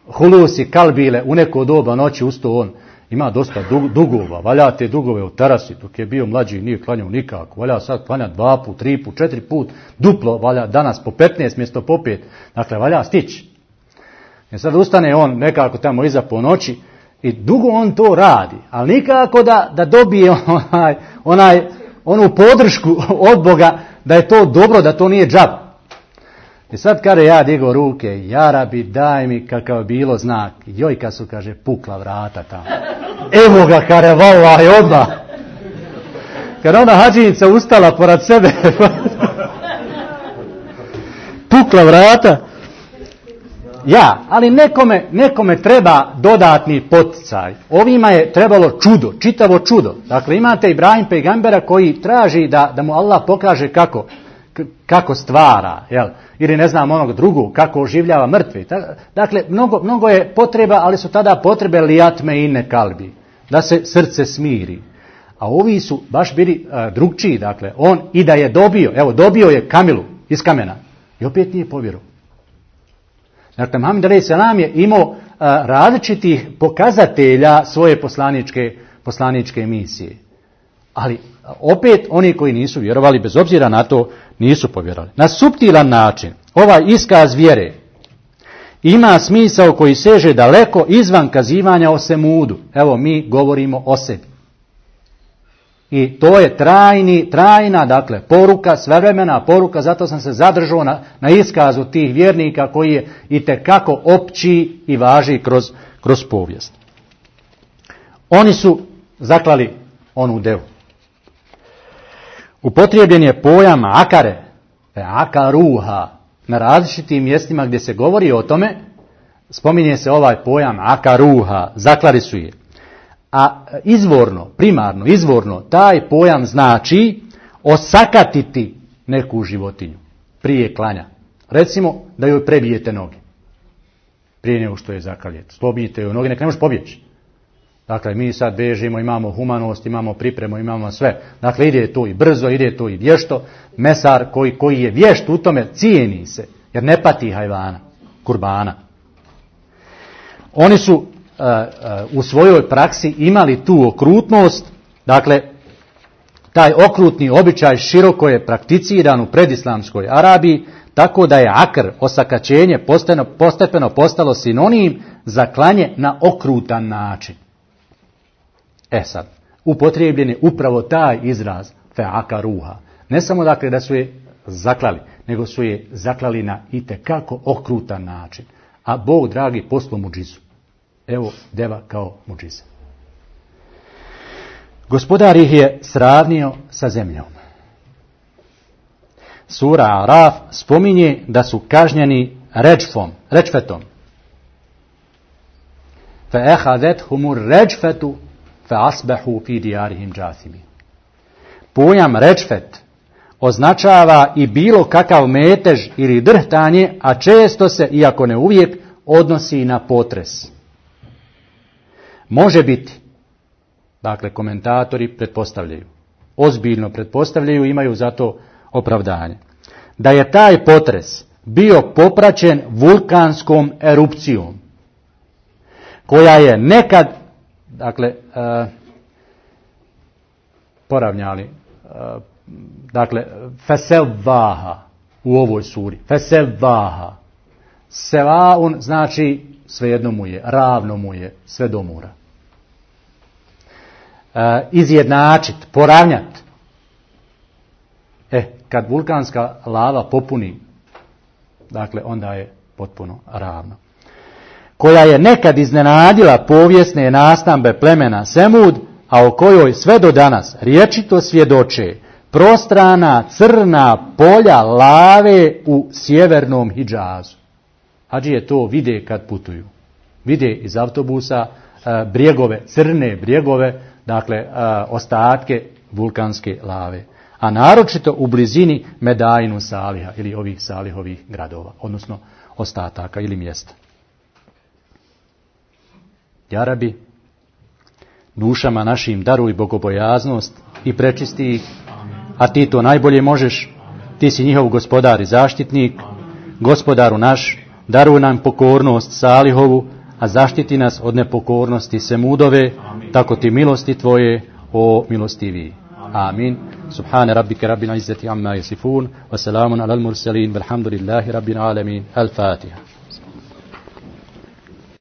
hulusi, kalbile, u neko doba noći ustao on, ima dosta dugova, valja te dugove u terasi, dok je bio mlađi nije klanjao nikako, valja sad klanja 2 put, 3 put, 4 put, duplo, valja danas po 15 mjesto po 5, dakle valja stići. I sad ustane on nekako tamo iza po noći i dugo on to radi, ali nikako da dobije onu podršku od Boga da je to dobro, da to nije džab. I sad kada ja digo ruke, ja Rabi, daj mi kakav bilo znak. Joj, kad su, kaže, pukla vrata tamo. Evo ga, kare, valaj, odmah. Kada ona hadžinica ustala pored sebe, pukla vrata. Ja, ali nekome treba dodatni poticaj. Ovima je trebalo čudo, čitavo čudo. Dakle, imate Ibrahim pejgambera koji traži da mu Allah pokaže kako stvara, jel? Ili ne znam onog drugog, kako oživljava mrtve. Dakle, mnogo je potreba, ali su tada potrebe lijatme inne kalbi, da se srce smiri. A ovi su baš bili drugčiji, dakle, on i da je dobio je kamilu iz kamena i opet nije povjerovao. Dakle, Muhammed a.s. je imao različitih pokazatelja svoje poslaničke misije. Ali opet oni koji nisu vjerovali, bez obzira na to, nisu povjerovali. Na suptilan način ovaj iskaz vjere ima smisao koji seže daleko izvan kazivanja o Semudu. Evo, mi govorimo o sebi. I to je trajna, dakle, poruka, svevremena poruka, zato sam se zadržao na iskazu tih vjernika koji je itekako opći i važi kroz povijest. Oni su zaklali onu devu. Upotrebljen je pojam akare, akaruha, na različitim mjestima gdje se govori o tome, spominje se ovaj pojam akaruha, zaklali su je. A izvorno, taj pojam znači osakatiti neku životinju prije klanja. Recimo da joj prebijete noge, prije nego što je zakaljete. Slobijete joj noge, neka ne možeš pobjeći. Dakle, mi sad bežimo, imamo humanost, imamo pripremu, imamo sve. Dakle, ide to i brzo, ide to i vješto. Mesar koji je vješt u tome cijeni se, jer ne pati hajvana, kurbana. Oni su u svojoj praksi imali tu okrutnost, dakle, taj okrutni običaj široko je prakticiran u predislamskoj Arabiji, tako da je akr, osakaćenje, postepeno postalo sinonim za klanje na okrutan način. Sad, upotrijebljen je upravo taj izraz fe'akaruha. Ne samo dakle da su je zaklali, nego su je zaklali na itekako okrutan način. A Bog, dragi, poslao muđizu. Evo deva kao muđiza. Gospodar ih je sravnio sa zemljom. Sura Araf spominje da su kažnjeni rečfetom. فَأَخَذَتْهُمُ الرَّجْفَةُ فَأَصْبَحُوا فِي دِيَارِهِمْ جَاثِمِينَ. Pojam rečfet označava i bilo kakav metež ili drhtanje, a često se, iako ne uvijek, odnosi na potres. Može biti, dakle komentatori pretpostavljaju, ozbiljno pretpostavljaju, imaju za to opravdanje, da je taj potres bio popraćen vulkanskom erupcijom, koja je nekad, dakle, poravnjali, dakle, fesevaha u ovoj suri, fesevaha, sevaun znači svejedno mu je, ravno mu je, sve do mora. Izjednačit, poravnjat. Kad vulkanska lava popuni, dakle, onda je potpuno ravno. Koja je nekad iznenadila povijesne nastambe plemena Semud, a o kojoj sve do danas rječito svjedoče prostrana crna polja lave u sjevernom Hidžazu. Hadžije to vide kad putuju. Vide iz autobusa brijegove, crne brijegove, dakle ostatke vulkanske lave. A naročito u blizini Medainu Saliha ili ovih Salihovih gradova, odnosno ostataka ili mjesta. Ja Rabi, dušama našim daruj bogobojaznost i prečisti ih, a ti to najbolje možeš. Ti si njihov gospodar i zaštitnik. Gospodaru naš, daruj nam pokornost Salihovu, a zaštiti nas od nepokornosti Semudove, tako ti milosti tvoje, o milostivi. Amin. Subhane rabbike rabbil izzati amma yasifun, wa salamun alal mursalin, walhamdulillahi rabbil alamin. Al-Fatiha.